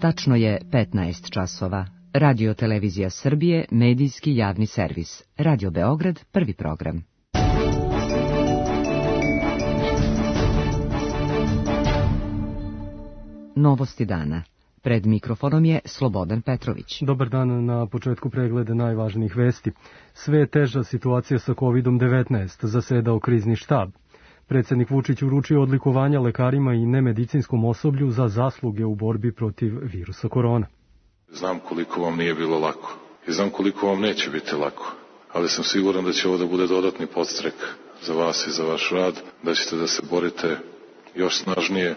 Tačno je 15 časova. Radio Televizija Srbije, medijski javni servis. Radio Beograd, prvi program. Novosti dana. Pred mikrofonom je Slobodan Petrović. Dobar dan, na početku pregleda najvažnijih vesti. Sve je teža situacija sa COVID-19, zasedao krizni štab. Predsjednik Vučić uručio odlikovanja lekarima i nemedicinskom osoblju za zasluge u borbi protiv virusa korona. Znam koliko vam nije bilo lako i znam koliko vam neće biti lako, ali sam siguran da će ovo da bude dodatni podstrek za vas i za vaš rad, da ćete da se borite još snažnije.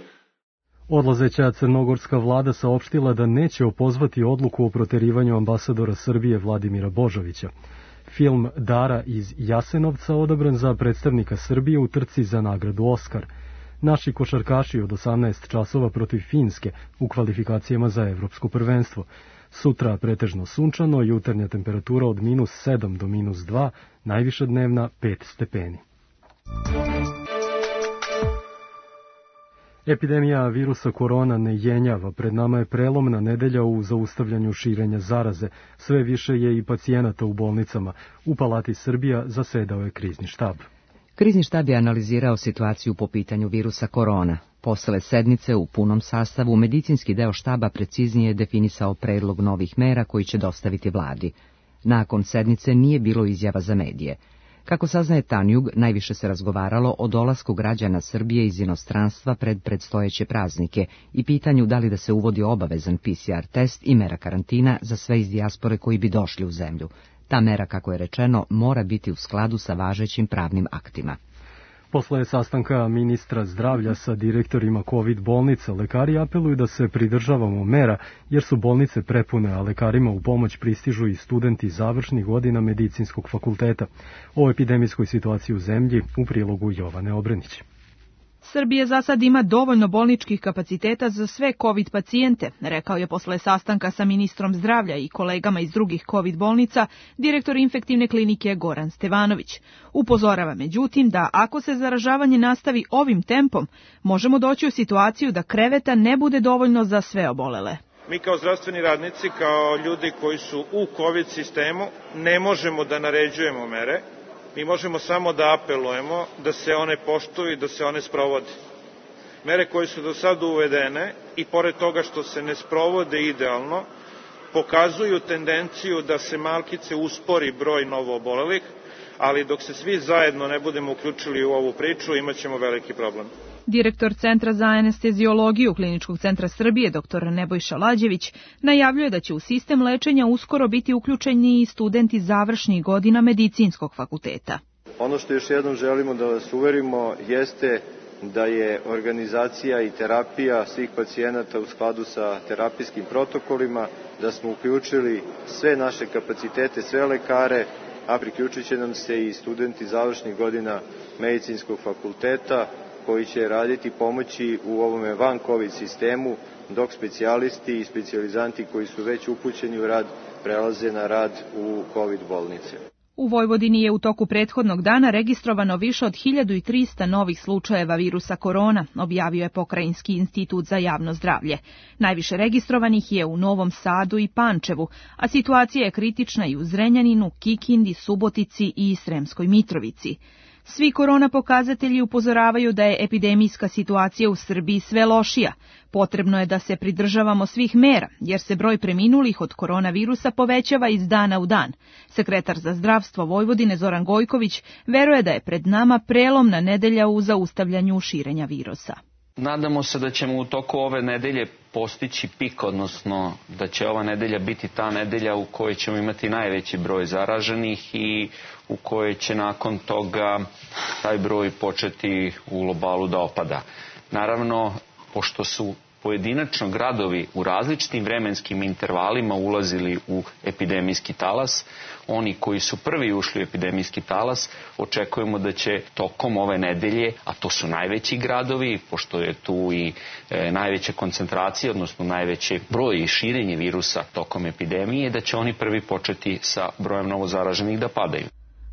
Odlazeća crnogorska vlada saopštila da neće opozvati odluku o proterivanju ambasadora Srbije Vladimira Božovića. Film Dara iz Jasenovca odabran za predstavnika Srbije u trci za nagradu Oskar. Naši košarkaši od 18 časova protiv Finske u kvalifikacijama za evropsko prvenstvo. Sutra pretežno sunčano, jutarnja temperatura od -7 do -2, najviša dnevna 5 stepeni. Epidemija virusa korona ne jenjava, pred nama je prelomna nedelja u zaustavljanju širenja zaraze. Sve više je i pacijenata u bolnicama. U Palati Srbija zasedao je krizni štab. Krizni štab je analizirao situaciju po pitanju virusa korona. Posle sednice u punom sastavu, medicinski deo štaba preciznije definisao predlog novih mera koji će dostaviti vladi. Nakon sednice nije bilo izjava za medije. Kako saznaje Tanjug, najviše se razgovaralo o dolasku građana Srbije iz inostranstva pred predstojeće praznike i pitanju da li da se uvodi obavezan PCR test i mera karantina za sve iz dijaspore koji bi došli u zemlju. Ta mera, kako je rečeno, mora biti u skladu sa važećim pravnim aktima. Posle sastanka ministra zdravlja sa direktorima COVID bolnica, lekari apeluju da se pridržavamo mera, jer su bolnice prepune, a lekarima u pomoć pristižu i studenti završnih godina medicinskog fakulteta. O epidemijskoj situaciji u zemlji u prilogu Jovane Obrenić. Srbija za sad ima dovoljno bolničkih kapaciteta za sve COVID pacijente, rekao je posle sastanka sa ministrom zdravlja i kolegama iz drugih COVID bolnica direktor infektivne klinike Goran Stevanović. Upozorava međutim da ako se zaražavanje nastavi ovim tempom, možemo doći u situaciju da kreveta ne bude dovoljno za sve obolele. Mi kao zdravstveni radnici, kao ljudi koji su u COVID sistemu, ne možemo da naređujemo mere. Mi možemo samo da apelujemo da se one poštuju i da se one sprovode. Mere koje su do sada uvedene i pored toga što se ne sprovode idealno, pokazuju tendenciju da se malkice uspori broj novoobolelih, ali dok se svi zajedno ne budemo uključili u ovu priču, imat ćemo veliki problem. Direktor Centra za anesteziologiju Kliničkog centra Srbije, dr. Nebojša Lađević, najavljuje da će u sistem lečenja uskoro biti uključeni i studenti završnih godina medicinskog fakulteta. Ono što još jednom želimo da vas uverimo jeste da je organizacija i terapija svih pacijenata u skladu sa terapijskim protokolima, da smo uključili sve naše kapacitete, sve lekare, a priključit će nam se i studenti završnih godina medicinskog fakulteta, koji će raditi pomoći u ovome van COVID sistemu, dok specijalisti i specijalizanti koji su već upućeni u rad prelaze na rad u COVID bolnice. U Vojvodini je u toku prethodnog dana registrovano više od 1300 novih slučajeva virusa korona, objavio je Pokrajinski institut za javno zdravlje. Najviše registrovanih je u Novom Sadu i Pančevu, a situacija je kritična i u Zrenjaninu, Kikindi, Subotici i Sremskoj Mitrovici. Svi korona pokazatelji upozoravaju da je epidemijska situacija u Srbiji sve lošija. Potrebno je da se pridržavamo svih mera, jer se broj preminulih od koronavirusa povećava iz dana u dan. Sekretar za zdravstvo Vojvodine Zoran Gojković veruje da je pred nama prelomna nedelja u zaustavljanju širenja virusa. Nadamo se da ćemo u toku ove nedelje postići pik, odnosno da će ova nedelja biti ta nedelja u kojoj ćemo imati najveći broj zaraženih i u kojoj će nakon toga taj broj početi u globalu da opada. Naravno, pošto su pojedinačno gradovi u različitim vremenskim intervalima ulazili u epidemijski talas, oni koji su prvi ušli u epidemijski talas, očekujemo da će tokom ove nedelje, a to su najveći gradovi, pošto je tu i najveća koncentracija, odnosno najveći broj i širenje virusa tokom epidemije, da će oni prvi početi sa brojem novozaraženih da padaju.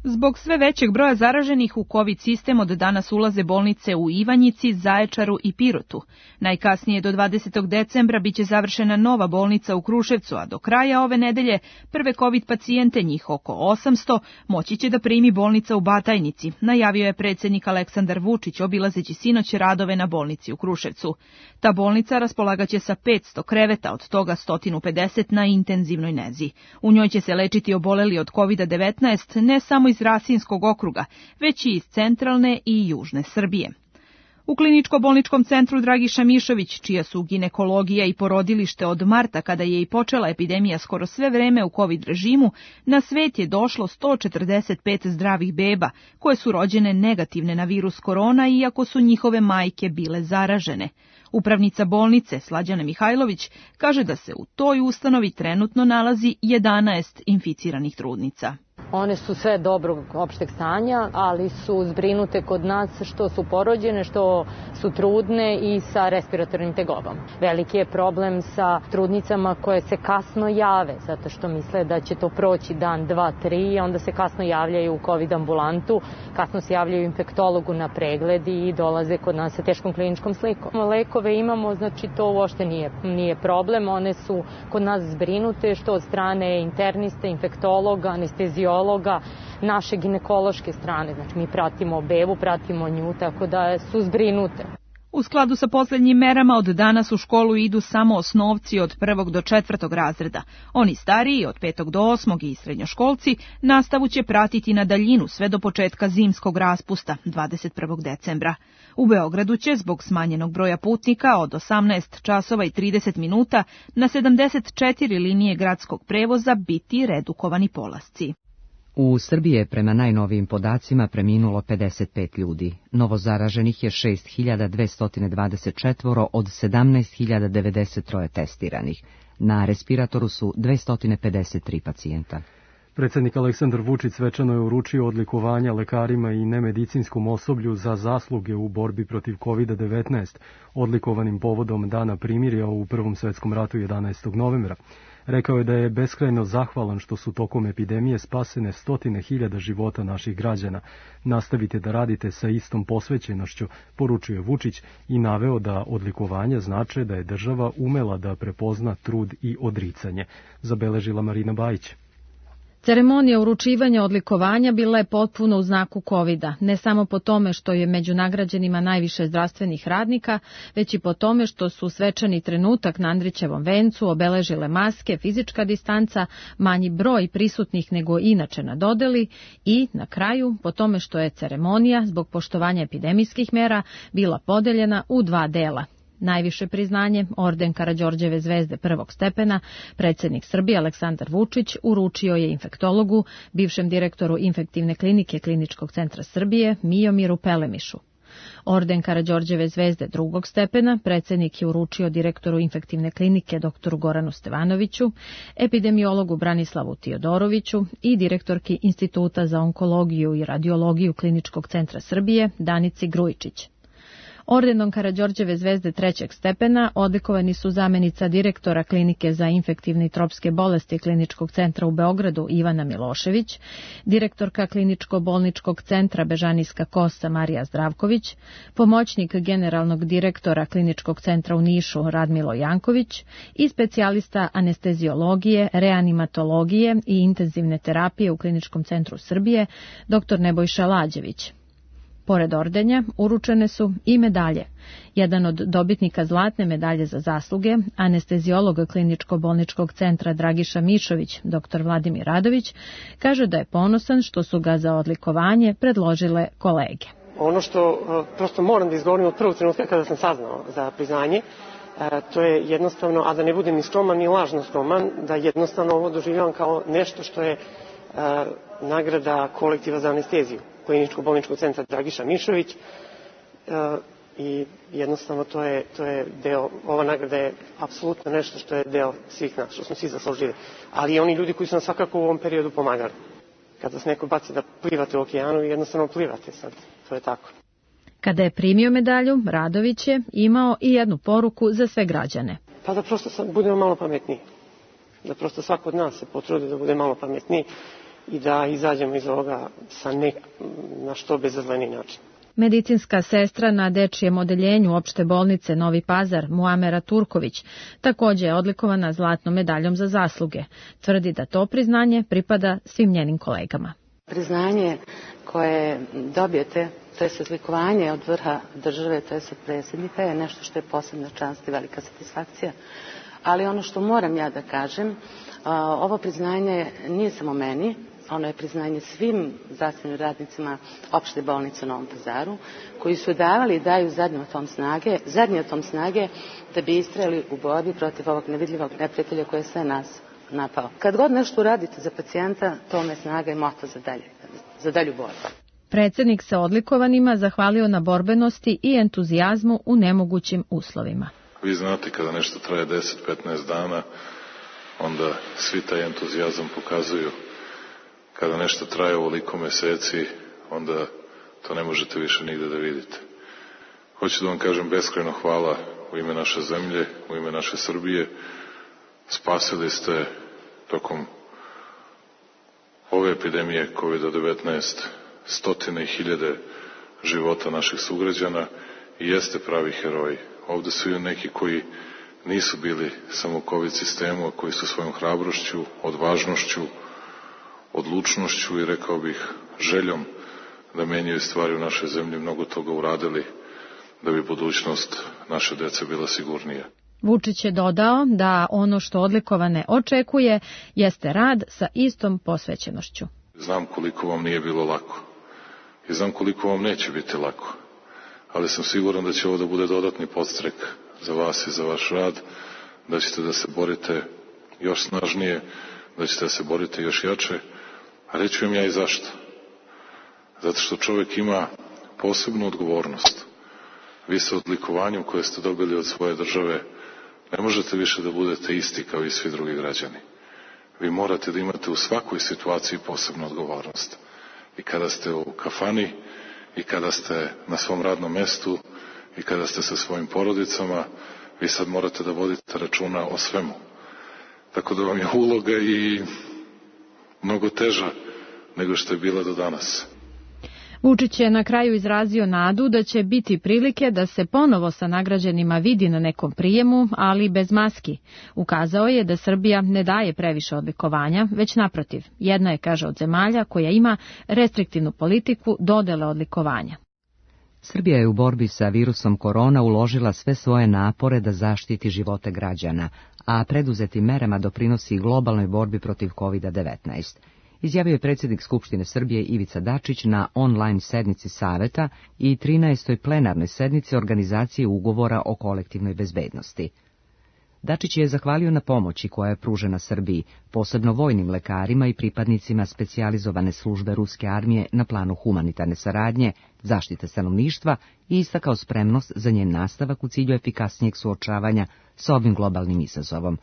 Zbog sve većeg broja zaraženih u COVID sistem od danas ulaze bolnice u Ivanjici, Zaječaru i Pirotu. Najkasnije do 20. decembra biće završena nova bolnica u Kruševcu, a do kraja ove nedelje prve COVID pacijente, njih oko 800, moći će da primi bolnica u Batajnici, najavio je predsjednik Aleksandar Vučić obilazeći sinoć radove na bolnici u Kruševcu. Ta bolnica raspolagaće sa 500 kreveta, od toga 150 na intenzivnoj nezi. U njoj će se lečiti oboleli od COVID-19 ne samo iz Rasinskog okruga, već i iz centralne i južne Srbije. U kliničko-bolničkom centru Dragiša Mišović, čija su ginekologija i porodilište od marta, kada je i počela epidemija skoro sve vreme u COVID režimu, na svet je došlo 145 zdravih beba, koje su rođene negativne na virus korona, iako su njihove majke bile zaražene. Upravnica bolnice, Slađana Mihajlović, kaže da se u toj ustanovi trenutno nalazi 11 inficiranih trudnica. One su sve dobrog opšteg stanja, ali su zbrinute kod nas što su porođene, što su trudne i sa respiratornim tegobom. Veliki je problem sa trudnicama koje se kasno jave, zato što misle da će to proći dan, 2, 3, onda se kasno javljaju u COVID ambulantu, kasno se javljaju infektologu na pregled i dolaze kod nas sa teškom kliničkom slikom. Lekove imamo, znači to uopšte nije problem, one su kod nas zbrinute što od strane interniste, infektologa, anesteziologa, naše ginekološke strane, znači mi pratimo bebu, pratimo nju, tako da su zbrinute. U skladu sa posljednjim merama od danas u školu idu samo osnovci od 1. do 4. razreda. Oni stariji od 5. do 8. i srednjoškolci nastavu će pratiti na daljinu sve do početka zimskog raspusta 21. decembra. U Beogradu će zbog smanjenog broja putnika od 18 časova i 30 minuta na 74 linije gradskog prevoza biti redukovani polasci. U Srbiji je prema najnovijim podacima preminulo 55 ljudi. Novozaraženih je 6.224 od 17.093 testiranih. Na respiratoru su 253 pacijenta. Predsjednik Aleksandar Vučić svečano je uručio odlikovanja lekarima i nemedicinskom osoblju za zasluge u borbi protiv COVID-19, odlikovanim povodom Dana primirja u Prvom svetskom ratu 11. novembra. Rekao je da je beskrajno zahvalan što su tokom epidemije spasene 100.000 života naših građana. Nastavite da radite sa istom posvećenošću, poručuje Vučić i naveo da odlikovanja znače da je država umela da prepozna trud i odricanje. Zabeležila Marina Bajić. Ceremonija uručivanja odlikovanja bila je potpuno u znaku COVID-a, ne samo po tome što je među nagrađenima najviše zdravstvenih radnika, već i po tome što su svečani trenutak na Andrićevom vencu obeležile maske, fizička distanca, manji broj prisutnih nego inače na dodeli i, na kraju, po tome što je ceremonija, zbog poštovanja epidemijskih mera, bila podeljena u 2 dela. Najviše priznanje, orden Karađorđeve zvezde 1. stepena, predsjednik Srbije Aleksandar Vučić uručio je infektologu, bivšem direktoru infektivne klinike Kliničkog centra Srbije, Mijomiru Pelemišu. Orden Karađorđeve zvezde 2. stepena predsjednik je uručio direktoru infektivne klinike dr. Goranu Stevanoviću, epidemiologu Branislavu Tiodoroviću i direktorki Instituta za onkologiju i radiologiju Kliničkog centra Srbije Danici Grujičić. Ordenom Karađorđeve zvezde 3. stepena odlikovani su zamjenica direktora Klinike za infektivne i tropske bolesti Kliničkog centra u Beogradu Ivana Milošević, direktorka Kliničko-bolničkog centra Bežanijska Kosa Marija Zdravković, pomoćnik generalnog direktora Kliničkog centra u Nišu Radmilo Janković i specijalista anesteziologije, reanimatologije i intenzivne terapije u Kliničkom centru Srbije dr. Nebojša Lađević. Pored ordenja uručene su i medalje. Jedan od dobitnika zlatne medalje za zasluge, anesteziolog Kliničko-bolničkog centra Dragiša Mišović, dr. Vladimir Radović, kaže da je ponosan što su ga za odlikovanje predložile kolege. Ono što prosto moram da izgovorim od prvog trenutka kada sam saznao za priznanje, to je jednostavno, a da ne budem ni skroman ni lažno skroman, da jednostavno ovo doživljavam kao nešto što je nagrada kolektiva za anesteziju Kliničko-bolničkog centra Dragiša Mišović i jednostavno to je deo, ova nagrada je apsolutno nešto što je deo svih nas, što smo svi zaslužili, ali i oni ljudi koji su nas svakako u ovom periodu pomagali. Kad vas neko baci da plivate u okeanu, jednostavno plivate sad, to je tako. Kada je primio medalju, Radović je imao i jednu poruku za sve građane. Pa da prosto budemo malo pametniji, da prosto svako od nas se potrudi da bude malo pametniji i da izađemo iz ovoga na što bezazleniji način. Medicinska sestra na dečijem odeljenju opšte bolnice Novi Pazar, Muamera Turković, također je odlikovana zlatnom medaljom za zasluge. Tvrdi da to priznanje pripada svim njenim kolegama. Priznanje koje dobijete, to je odlikovanje od vrha države, to je od predsjednika, je nešto što je posebna čast i velika satisfakcija. Ali ono što moram ja da kažem, ovo priznanje nije samo meni, ono je priznanje svim zdravstvenim radnicima opšte bolnice u Novom Pazaru, koji su davali i daju zadnji atom snage da bi istrajali u borbi protiv ovog nevidljivog neprijatelja koji je sve nas napao. Kad god nešto uradite za pacijenta, to me snaga i moto za dalju borbu. Predsjednik se odlikovanima zahvalio na borbenosti i entuzijazmu u nemogućim uslovima. Vi znate kada nešto traje 10-15 dana, onda svi taj entuzijazam pokazuju. Kada nešto traje ovoliko meseci, onda to ne možete više nigde da vidite. Hoću da vam kažem beskrajno hvala u ime naše zemlje, u ime naše Srbije. Spasili ste tokom ove epidemije COVID-19 stotine i hiljade života naših sugrađana i jeste pravi heroji. Ovde su i neki koji nisu bili samo u COVID sistemu, a koji su svojom hrabrošću, odvažnošću, odlučnošću i rekao bih željom da menjaju stvari u našoj zemlji mnogo toga uradili da bi budućnost naše dece bila sigurnija. Vučić je dodao da ono što odlikovane očekuje jeste rad sa istom posvećenošću. Znam koliko vam nije bilo lako i znam koliko vam neće biti lako, ali sam siguran da će ovo da bude dodatni podstrek za vas i za vaš rad, da ćete da se borite još snažnije, da ćete da se borite još jače, a reću vam ja i zašto. Zato što čovjek ima posebnu odgovornost. Vi sa odlikovanjem koje ste dobili od svoje države ne možete više da budete isti kao i svi drugi građani. Vi morate da imate u svakoj situaciji posebnu odgovornost. I kada ste u kafani, i kada ste na svom radnom mestu, i kada ste sa svojim porodicama, vi sad morate da vodite računa o svemu. Tako da vam je uloga i mnogo teža nego što je bila do danas. Vučić je na kraju izrazio nadu da će biti prilike da se ponovo sa nagrađenima vidi na nekom prijemu, ali bez maski. Ukazao je da Srbija ne daje previše odlikovanja, već naprotiv. Jedna je, kaže, od zemalja koja ima restriktivnu politiku dodele odlikovanja. Srbija je u borbi sa virusom korona uložila sve svoje napore da zaštiti živote građana, a preduzetim merama doprinosi globalnoj borbi protiv COVID-19. Izjavio je predsjednik Skupštine Srbije Ivica Dačić na online sednici Saveta i 13. plenarnoj sednici organizacije ugovora o kolektivnoj bezbednosti. Dačić je zahvalio na pomoći koja je pružena Srbiji, posebno vojnim lekarima i pripadnicima specijalizovane službe ruske armije na planu humanitarne saradnje, zaštite stanovništva i istakao spremnost za njen nastavak u cilju efikasnijeg suočavanja sa ovim globalnim izazovom.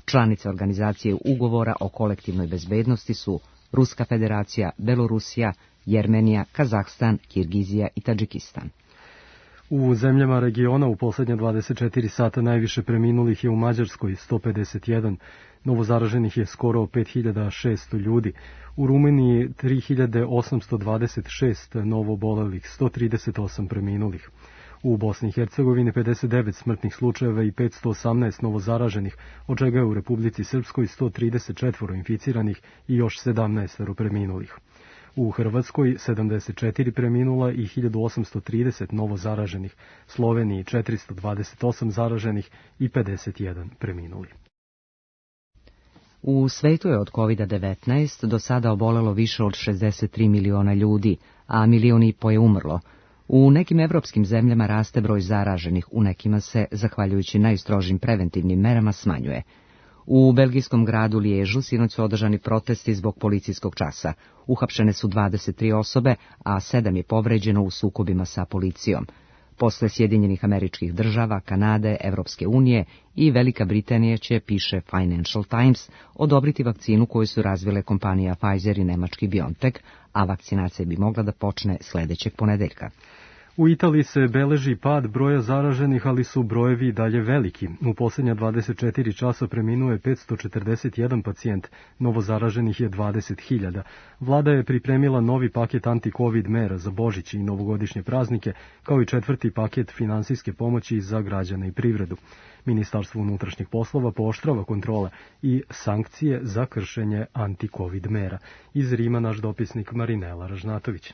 Članice organizacije ugovora o kolektivnoj bezbednosti su Ruska federacija, Belorusija, Jermenija, Kazahstan, Kirgizija i Tadžikistan. U zemljama regiona u posljednje 24 sata najviše preminulih je u Mađarskoj 151, novozaraženih je skoro 5600 ljudi, u Rumuniji 3826 novobolelih, 138 preminulih. U Bosni i Hercegovini 59 smrtnih slučajeva i 518 novozaraženih, od čega je u Republici Srpskoj 134 inficiranih i još 17 preminulih. U Hrvatskoj 74 preminula i 1830 novozaraženih, Sloveniji 428 zaraženih i 51 preminuli. U svetu je od COVID-19 do sada obolelo više od 63 miliona ljudi, a 1,5 miliona je umrlo. U nekim evropskim zemljama raste broj zaraženih, u nekima se, zahvaljujući najstrožim preventivnim merama, smanjuje. U belgijskom gradu Liježu sinoć su održani protesti zbog policijskog časa. Uhapšene su 23 osobe, a 7 je povređeno u sukobima sa policijom. Posle Sjedinjenih Američkih Država, Kanade, Evropske unije i Velika Britanija će, piše Financial Times, odobriti vakcinu koju su razvile kompanija Pfizer i nemački BioNTech, a vakcinacija bi mogla da počne sledećeg ponedeljka. U Italiji se beleži pad broja zaraženih, ali su brojevi i dalje veliki. U posljednja 24 časa preminuo je 541 pacijent, novo zaraženih je 20.000. Vlada je pripremila novi paket anti-covid mera za Božić i novogodišnje praznike, kao i 4. paket finansijske pomoći za građane i privredu. Ministarstvo unutrašnjih poslova pooštrava kontrole i sankcije za kršenje anti-covid mera. Iz Rima naš dopisnik Marinela Ražnatović.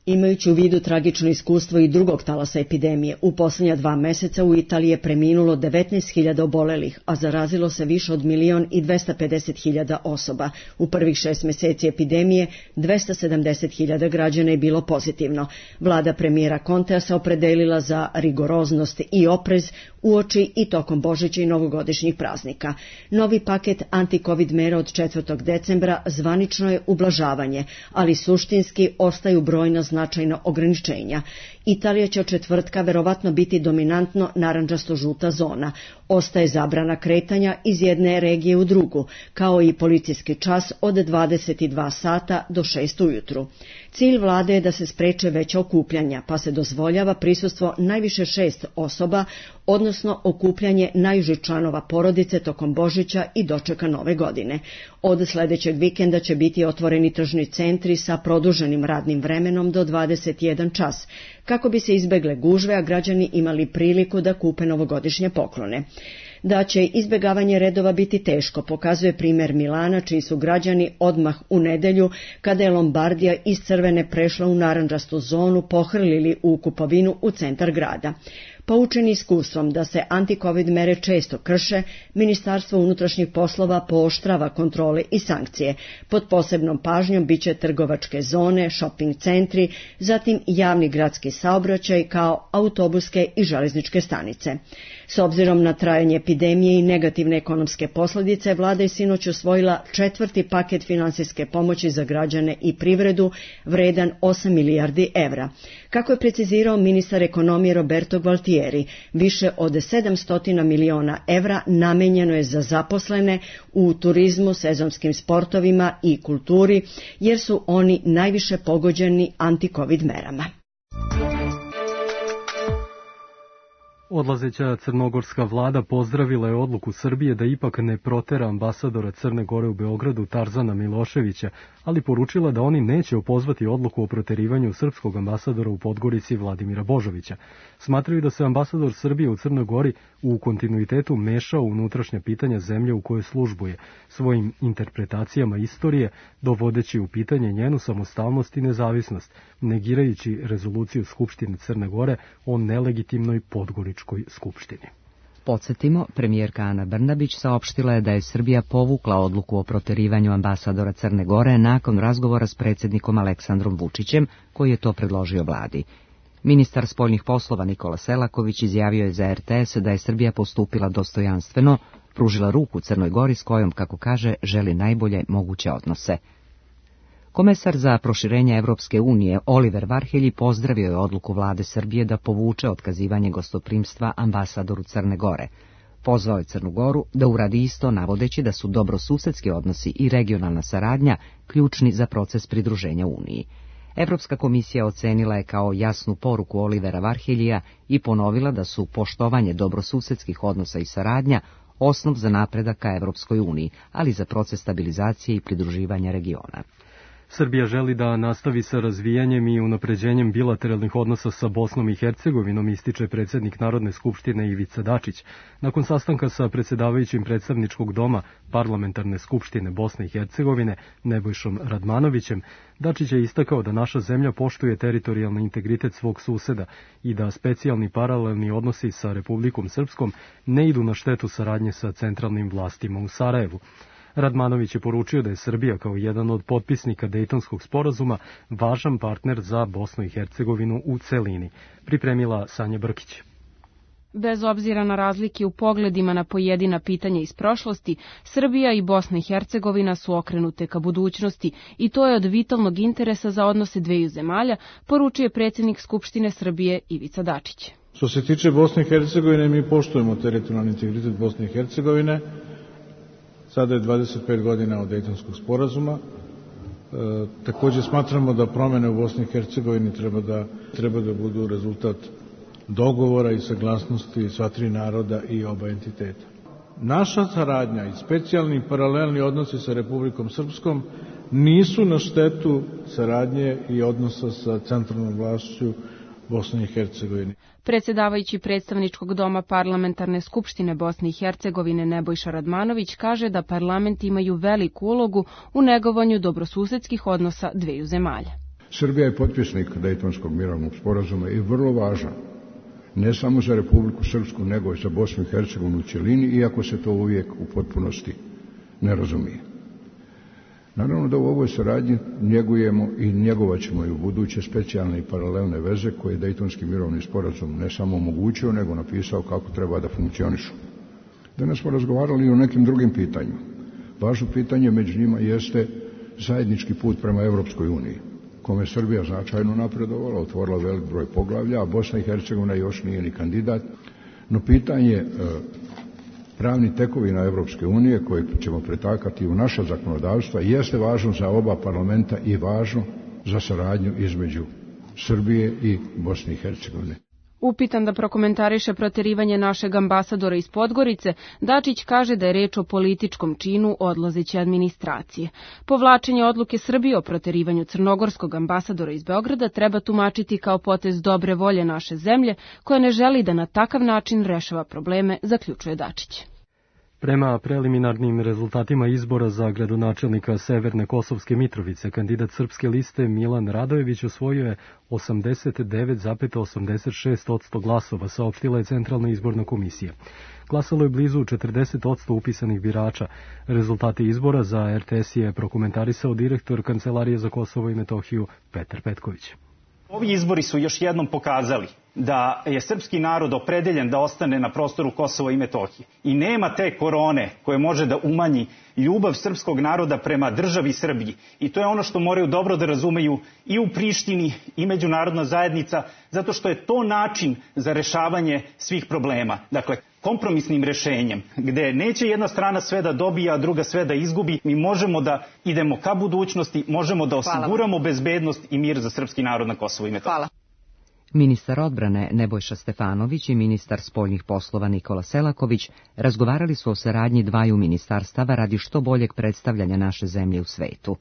Imajući u vidu tragično iskustvo i drugog talasa epidemije, u posljednja 2 meseca u Italiji je preminulo 19.000 obolelih, a zarazilo se više od 1.250.000 osoba. U prvih 6 meseci epidemije 270.000 građana je bilo pozitivno. Vlada premijera Contea se opredelila za rigoroznost i oprez uoči i tokom Božića i novogodišnjih praznika. Novi paket anti-covid mera od 4. decembra zvanično je ublažavanje, ali suštinski ostaju brojna značajna ograničenja. Italija će od četvrtka verovatno biti dominantno narandžasto-žuta zona. Ostaje zabrana kretanja iz jedne regije u drugu, kao i policijski čas od 22 sata do 6 ujutru. Cilj vlade je da se spreče veća okupljanja, pa se dozvoljava prisustvo najviše 6 osoba, odnosno okupljanje najužih članova porodice tokom Božića i dočeka Nove godine. Od sljedećeg vikenda će biti otvoreni tržni centri sa produženim radnim vremenom do 21 čas, kako bi se izbegle gužve, a građani imali priliku da kupe novogodišnje poklone. Da će izbjegavanje redova biti teško, pokazuje primjer Milana, čiji su građani odmah u nedelju, kada je Lombardija iz crvene prešla u narandžastu zonu, pohrlili u kupovinu u centar grada. Poučeni iskustvom da se anti-covid mere često krše, Ministarstvo unutrašnjih poslova pooštrava kontrole i sankcije. Pod posebnom pažnjom biće trgovačke zone, shopping centri, zatim javni gradski saobraćaj kao autobuske i železničke stanice. S obzirom na trajanje epidemije i negativne ekonomske posljedice, vlada je sinoć usvojila 4. paket finansijske pomoći za građane i privredu, vredan 8 milijardi evra. Kako je precizirao ministar ekonomije Roberto Gualtieri, više od 700 miliona evra namenjeno je za zaposlene u turizmu, sezonskim sportovima i kulturi, jer su oni najviše pogođeni anti-covid merama. Odlazeća crnogorska vlada pozdravila je odluku Srbije da ipak ne protera ambasadora Crne Gore u Beogradu Tarzana Miloševića, ali poručila da oni neće opozvati odluku o proterivanju srpskog ambasadora u Podgorici Vladimira Božovića. Smatraju da se ambasador Srbije u Crnoj Gori u kontinuitetu mešao u unutrašnja pitanja zemlje u kojoj službuje, svojim interpretacijama istorije, dovodeći u pitanje njenu samostalnost i nezavisnost, negirajući rezoluciju Skupštine Crne Gore o nelegitimnoj Podgoričkoj skupštini. Podsjetimo, premijerka Ana Brnabić saopštila je da je Srbija povukla odluku o proterivanju ambasadora Crne Gore nakon razgovora s predsjednikom Aleksandrom Vučićem, koji je to predložio vladi. Ministar spoljnih poslova Nikola Selaković izjavio je za RTS da je Srbija postupila dostojanstveno, pružila ruku Crnoj Gori s kojom, kako kaže, želi najbolje moguće odnose. Komesar za proširenje Evropske unije Oliver Varhelji pozdravio je odluku vlade Srbije da povuče otkazivanje gostoprimstva ambasadoru Crne Gore. Pozvao je Crnu Goru da uradi isto, navodeći da su dobrosusedski odnosi i regionalna saradnja ključni za proces pridruženja Uniji. Evropska komisija ocenila je kao jasnu poruku Olivera Varheljija i ponovila da su poštovanje dobrosusedskih odnosa i saradnja osnov za napredak ka Evropskoj uniji, ali za proces stabilizacije i pridruživanja regiona. Srbija želi da nastavi sa razvijanjem i unapređenjem bilateralnih odnosa sa Bosnom i Hercegovinom, ističe predsjednik Narodne skupštine Ivica Dačić. Nakon sastanka sa predsjedavajućim predstavničkog doma Parlamentarne skupštine Bosne i Hercegovine Nebojšom Radmanovićem, Dačić je istakao da naša zemlja poštuje teritorijalni integritet svog suseda i da specijalni paralelni odnosi sa Republikom Srpskom ne idu na štetu saradnje sa centralnim vlastima u Sarajevu. Radmanović je poručio da je Srbija kao jedan od potpisnika Dejtonskog sporazuma važan partner za Bosnu i Hercegovinu u celini. Pripremila Sanja Brkić. Bez obzira na razlike u pogledima na pojedina pitanja iz prošlosti, Srbija i Bosna i Hercegovina su okrenute ka budućnosti i to je od vitalnog interesa za odnose dveju zemalja, poručuje predsjednik Skupštine Srbije Ivica Dačić. Što se tiče Bosne i Hercegovine, mi poštujemo teritorijalni integritet Bosne i Hercegovine. Sada je 25 godina od Dejtonskog sporazuma Takođe smatramo da promene u Bosni i Hercegovini treba da budu rezultat dogovora i saglasnosti sva tri naroda i oba entiteta. Naša saradnja i specijalni i paralelni odnosi sa Republikom Srpskom nisu na štetu saradnje i odnosa sa centralnom vlašću Bosne i Hercegovine. Predsjedavajući predstavničkog doma Parlamentarne skupštine Bosne i Hercegovine Nebojša Radmanović kaže da parlamenti imaju veliku ulogu u negovanju dobrosusedskih odnosa dveju zemalja. Srbija je potpisnik Dejtonskog mirovnog sporazuma i vrlo važan, ne samo za Republiku Srpsku, nego i za Bosnu i Hercegovinu u cjelini, iako se to uvijek u potpunosti ne razumije. Naravno da u ovoj saradnji njegujemo i njegovat ćemo i u buduće specijalne i paralelne veze koje je Dejtonski mirovni sporazum ne samo omogućio, nego napisao kako treba da funkcionišu. Danas smo razgovarali i o nekim drugim pitanjima. Važno pitanje među njima jeste zajednički put prema Evropskoj uniji, kome je Srbija značajno napredovala, otvorila velik broj poglavlja, a Bosna i Hercegovina još nije ni kandidat. No pitanje pravnih tekovina Evropske unije koje ćemo pretakati u naša zakonodavstva jeste važno za oba parlamenta i važno za saradnju između Srbije i Bosne i Hercegovine. Upitan da prokomentariše proterivanje našeg ambasadora iz Podgorice, Dačić kaže da je reč o političkom činu odlazeće administracije. Povlačenje odluke Srbije o proterivanju crnogorskog ambasadora iz Beograda treba tumačiti kao potez dobre volje naše zemlje, koja ne želi da na takav način rešava probleme, zaključuje Dačić. Prema preliminarnim rezultatima izbora za gradonačelnika Severne Kosovske Mitrovice, kandidat srpske liste Milan Radojević osvojio je 89,86% glasova, saopštila je Centralna izborna komisija. Glasalo je blizu 40% upisanih birača. Rezultate izbora za RTS je prokomentarisao direktor Kancelarije za Kosovo i Metohiju Petar Petković. Ovi izbori su još jednom pokazali da je srpski narod opredeljen da ostane na prostoru Kosova i Metohije. I nema te korone koje može da umanji ljubav srpskog naroda prema državi Srbiji. I to je ono što moraju dobro da razumeju i u Prištini i međunarodna zajednica, zato što je to način za rešavanje svih problema. Dakle, kompromisnim rešenjem, gde neće jedna strana sve da dobije, a druga sve da izgubi, mi možemo da idemo ka budućnosti, možemo da osiguramo bezbednost i mir za srpski narod na Kosovu i Metohiji. Ministar odbrane Nebojša Stefanović i ministar spoljnih poslova Nikola Selaković razgovarali su o saradnji dvaju ministarstava radi što boljeg predstavljanja naše zemlje u svetu.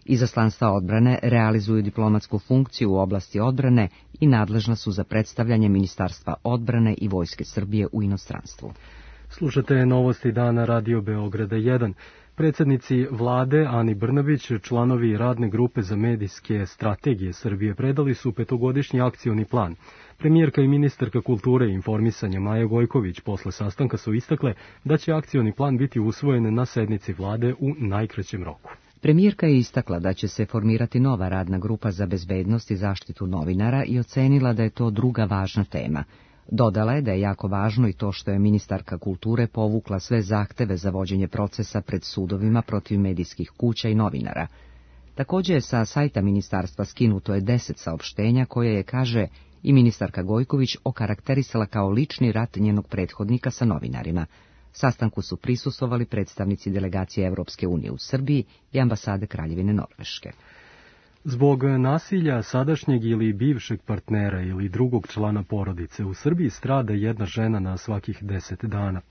Izaslanstva odbrane realizuju diplomatsku funkciju u oblasti odbrane i nadležna su za predstavljanje Ministarstva odbrane i Vojske Srbije u inostranstvu. Slušate novosti dana Radio Beograda 1. Predsjednici vlade Ani Brnabić, članovi radne grupe za medijske strategije Srbije predali su petogodišnji akcioni plan. Premijerka i ministarka kulture i informisanja Maja Gojković posle sastanka su istakle da će akcioni plan biti usvojen na sednici vlade u najkraćem roku. Premijerka je istakla da će se formirati nova radna grupa za bezbednost i zaštitu novinara i ocenila da je to druga važna tema. Dodala je da je jako važno i to što je ministarka kulture povukla sve zahteve za vođenje procesa pred sudovima protiv medijskih kuća i novinara. Također je sa sajta ministarstva skinuto je 10 saopštenja koje je, kaže, i ministarka Gojković okarakterisala kao lični rat njenog prethodnika sa novinarima. Sastanku su prisustvovali predstavnici delegacije Evropske unije u Srbiji i ambasade Kraljevine Norveške. Zbog nasilja sadašnjeg ili bivšeg partnera ili drugog člana porodice u Srbiji strada jedna žena na svakih 10 dana.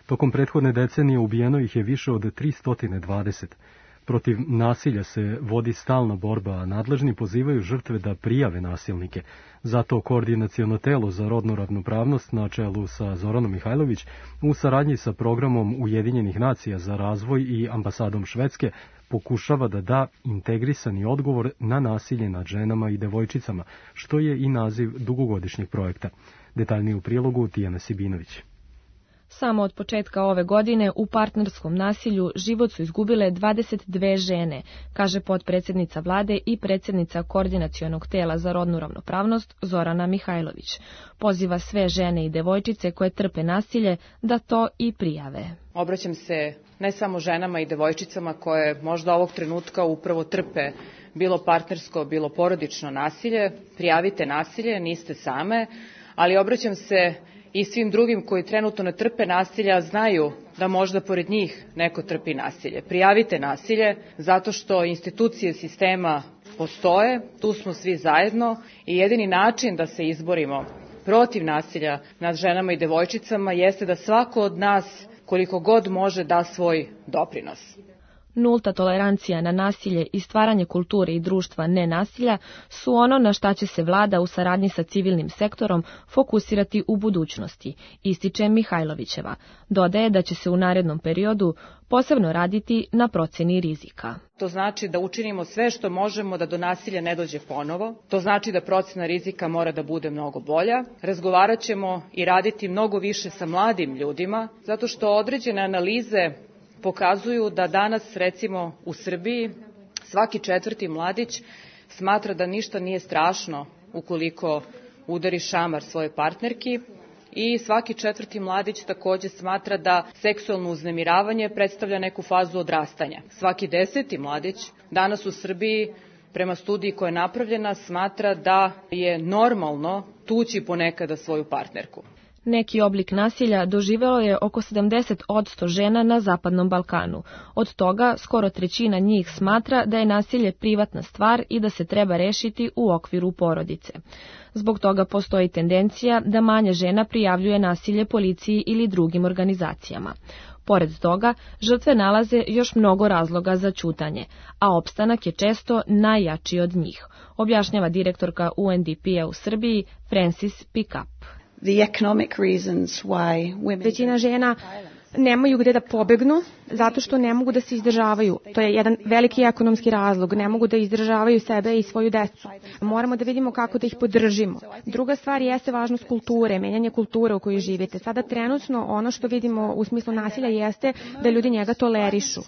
Tokom prethodne decenije ubijeno ih je više od 320. Protiv nasilja se vodi stalna borba, a nadležni pozivaju žrtve da prijave nasilnike. Zato Koordinaciono telo za rodnu ravnopravnost na čelu sa Zoranom Mihajlović u saradnji sa programom Ujedinjenih nacija za razvoj i ambasadom Švedske pokušava da da integrisani odgovor na nasilje nad ženama i devojčicama, što je i naziv dugogodišnjeg projekta. Detaljnije u prilogu Tijana Sibinović. Samo od početka ove godine u partnerskom nasilju život su izgubile 22 žene, kaže potpredsjednica vlade i predsjednica Koordinacionog tela za rodnu ravnopravnost Zorana Mihajlović. Poziva sve žene i devojčice koje trpe nasilje da to i prijave. Obraćam se ne samo ženama i devojčicama koje možda ovog trenutka upravo trpe bilo partnersko, bilo porodično nasilje. Prijavite nasilje, niste same, ali obraćam se i svim drugim koji trenutno ne trpe nasilja znaju da možda pored njih neko trpi nasilje. Prijavite nasilje zato što institucije sistema postoje, tu smo svi zajedno i jedini način da se izborimo protiv nasilja nad ženama i devojčicama jeste da svako od nas koliko god može da svoj doprinos. Nulta tolerancija na nasilje i stvaranje kulture i društva nenasilja su ono na šta će se vlada u saradnji sa civilnim sektorom fokusirati u budućnosti, ističe Mihajlovićeva. Dodaje da će se u narednom periodu posebno raditi na proceni rizika. To znači da učinimo sve što možemo da do nasilja ne dođe ponovo. To znači da procena rizika mora da bude mnogo bolja. Razgovarat ćemo i raditi mnogo više sa mladim ljudima, zato što određene analize pokazuju da danas, recimo u Srbiji, svaki 4. mladić smatra da ništa nije strašno ukoliko udari šamar svoje partnerki i svaki 4. mladić takođe smatra da seksualno uznemiravanje predstavlja neku fazu odrastanja. Svaki 10. mladić danas u Srbiji, prema studiji koja je napravljena, smatra da je normalno tući ponekada svoju partnerku. Neki oblik nasilja doživelo je oko 70% žena na Zapadnom Balkanu. Od toga skoro trećina njih smatra da je nasilje privatna stvar i da se treba rešiti u okviru porodice. Zbog toga postoji tendencija da manje žena prijavljuje nasilje policiji ili drugim organizacijama. Pored toga, žrtve nalaze još mnogo razloga za ćutanje, a opstanak je često najjači od njih, objašnjava direktorka UNDP-a u Srbiji Francis Pickup. Većina žena nemaju gde da pobegnu zato što ne mogu da se izdržavaju. To je jedan veliki ekonomski razlog. Ne mogu da izdržavaju sebe i svoju decu. Moramo da vidimo kako da ih podržimo. Druga stvar jeste važnost kulture, menjanje kulture u kojoj živite. Sada trenutno ono što vidimo u smislu nasilja jeste da ljudi njega tolerišu.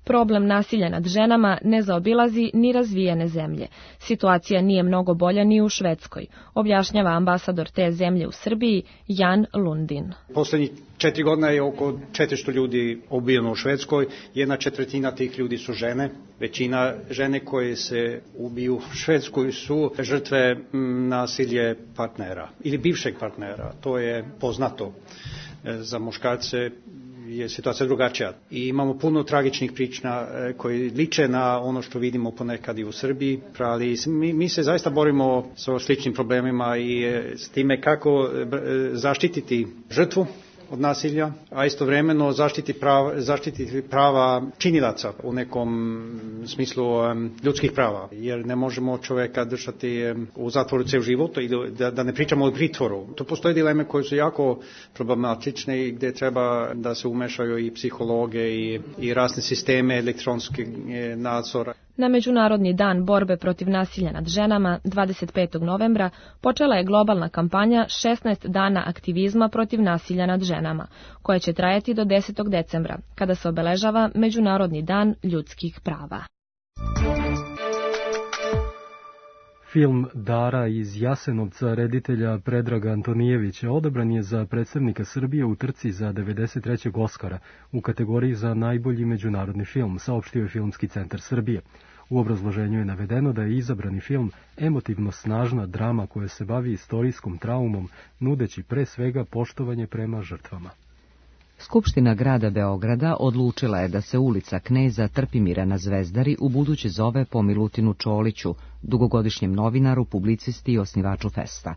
Problem nasilja nad ženama ne zaobilazi ni razvijene zemlje. Situacija nije mnogo bolja ni u Švedskoj, objašnjava ambasador te zemlje u Srbiji Jan Lundin. Poslednjih 4 godina je oko 400 ljudi ubijeno u Švedskoj, 1/4 tih ljudi su žene. Većina žene koje se ubiju u Švedskoj su žrtve nasilje partnera ili bivšeg partnera. To je poznato. Za muškarce je situacija drugačija. I imamo puno tragičnih priča koji liče na ono što vidimo ponekad i u Srbiji, ali mi se zaista borimo sa sličnim problemima i s time kako zaštititi žrtvu od nasilja, a istovremeno zaštititi prava činilaca u nekom smislu ljudskih prava, jer ne možemo čoveka držati u zatvoru ceo život ili da ne pričamo o pritvoru. Tu postoje dileme koje su jako problematične i gde treba da se umešaju i psihologe i razne sisteme elektronskih nadzora. Na Međunarodni dan borbe protiv nasilja nad ženama 25. novembra počela je globalna kampanja 16 dana aktivizma protiv nasilja nad ženama, koja će trajati do 10. decembra, kada se obeležava Međunarodni dan ljudskih prava. Film Dara iz Jasenovca reditelja Predraga Antonijevića odabran je za predstavnika Srbije u trci za 93. Oskara u kategoriji za najbolji međunarodni film, saopštio je Filmski centar Srbije. U obrazloženju je navedeno da je izabrani film emotivno snažna drama koja se bavi istorijskom traumom, nudeći pre svega poštovanje prema žrtvama. Skupština grada Beograda odlučila je da se ulica Kneza Trpimira na Zvezdari ubuduće zove po Milutinu Čoliću, dugogodišnjem novinaru, publicisti i osnivaču festa.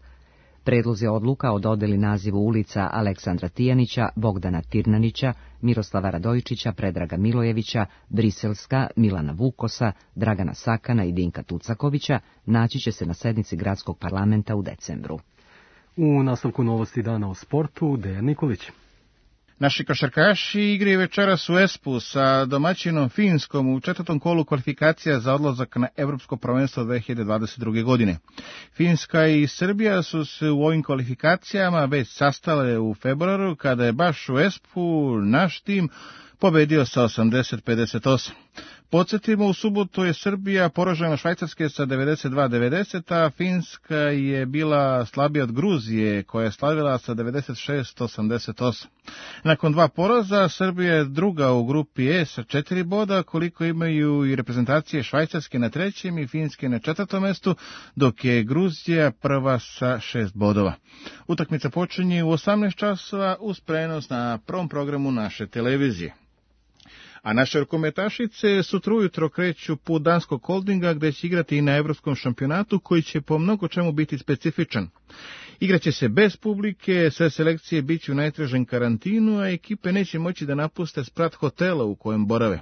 Predlozi odluka o dodeli nazivu ulica Aleksandra Tijanića, Bogdana Tirnanića, Miroslava Radojičića, Predraga Milojevića, Briselska, Milana Vukosa, Dragana Sakana i Dinka Tucakovića naći će se na sednici gradskog parlamenta u decembru. U nastavku novosti dana o sportu, Dejan Nikolić. Naši košarkaši igraju večeras u Espu sa domaćinom Finskom u 4. kolu kvalifikacija za odlazak na Evropsko prvenstvo 2022. godine. Finska i Srbija su se u ovim kvalifikacijama već sastale u februaru, kada je baš u Espu naš tim pobedio sa 80-58. Podsjetimo, u subotu je Srbija poražena Švajcarske sa 92-90, a Finska je bila slabija od Gruzije, koja je slavila sa 96-88. Nakon 2 poraza, Srbija je druga u grupi E sa 4 boda, koliko imaju i reprezentacije Švajcarske na 3. i Finske na 4. mestu, dok je Gruzija prva sa 6 bodova. Utakmica počinje u 18 časova uz prenos na prvom programu naše televizije. A naše rukometašice sutra ujutro kreću put Danskog Holdinga, gde će igrati i na Evropskom šampionatu, koji će po mnogo čemu biti specifičan. Igraće se bez publike, sve selekcije bit će u najtežem karantinu, a ekipe neće moći da napuste sprat hotela u kojem borave.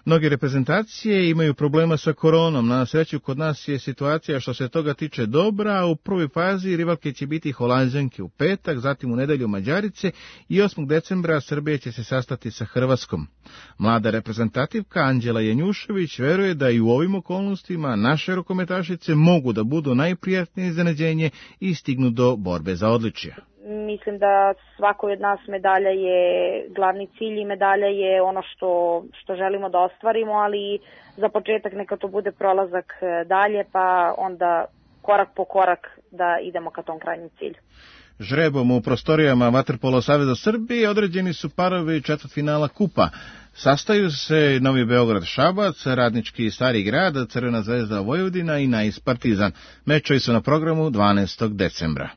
Mnoge reprezentacije imaju problema sa koronom, na sreću kod nas je situacija što se toga tiče dobra, a u prvoj fazi rivalke će biti Holanđanke u petak, zatim u nedelju Mađarice i 8. decembra Srbija će se sastati sa Hrvatskom. Mlada reprezentativka Anđela Janjušević veruje da i u ovim okolnostima naše rukometašice mogu da budu najprijatnije iznenađenje i stignu do borbe za odličje. Mislim da svakoj od nas medalja je glavni cilj i medalja je ono što želimo da ostvarimo, ali za početak neka to bude prolazak dalje, pa onda korak po korak da idemo ka tom krajnjem cilju. Žrebom u prostorijama Vaterpolo Saveza Srbije određeni su parovi četvrtfinala kupa. Sastaju se Novi Beograd Šabac, Radnički Stari grad, Crvena zvezda Vojvodina i Nais Partizan. Mečevi su na programu 12. decembra.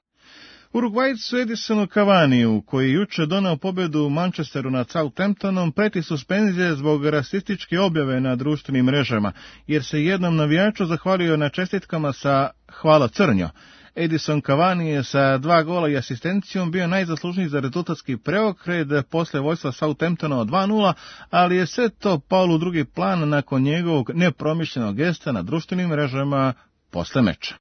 Urugvajcu Edisonu Cavaniju, koji juče doneo pobedu u Manchesteru nad Southamptonom, preti suspenzije zbog rasističke objave na društvenim mrežama, jer se jednom navijaču zahvalio na čestitkama sa "Hvala Crnjo". Edison Cavani je sa 2 gola i asistencijom bio najzaslužniji za rezultatski preokret posle vojstva Southamptona od 2:0, ali je sve to palo u drugi plan nakon njegovog nepromišljenog gesta na društvenim mrežama posle meča.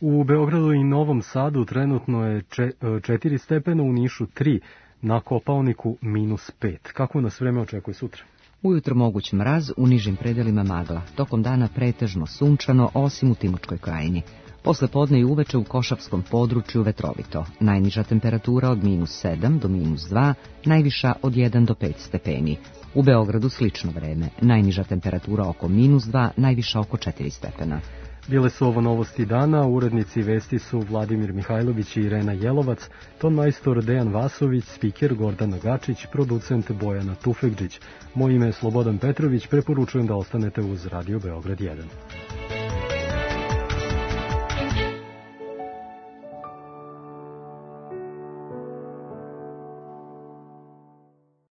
U Beogradu i Novom Sadu trenutno je 4 stepena, u Nišu 3, na Kopaoniku -5. Kako nas vreme očekuje sutra? Ujutro moguć mraz, u nižim predelima magla. Tokom dana pretežno sunčano, osim u Timočkoj krajini. Posle podne i uveče u Košavskom području vetrovito. Najniža temperatura od -7 do -2, najviša od 1 do 5 stepeni. U Beogradu slično vreme. Najniža temperatura oko -2, najviša oko 4 stepena. Bile su ovo novosti dana, urednici vesti su Vladimir Mihajlović i Irena Jelovac, tonmajstor Dejan Vasović, spiker Gordana Gačić, producent Bojana Tufekđić. Moje ime je Slobodan Petrović, preporučujem da ostanete uz Radio Beograd 1.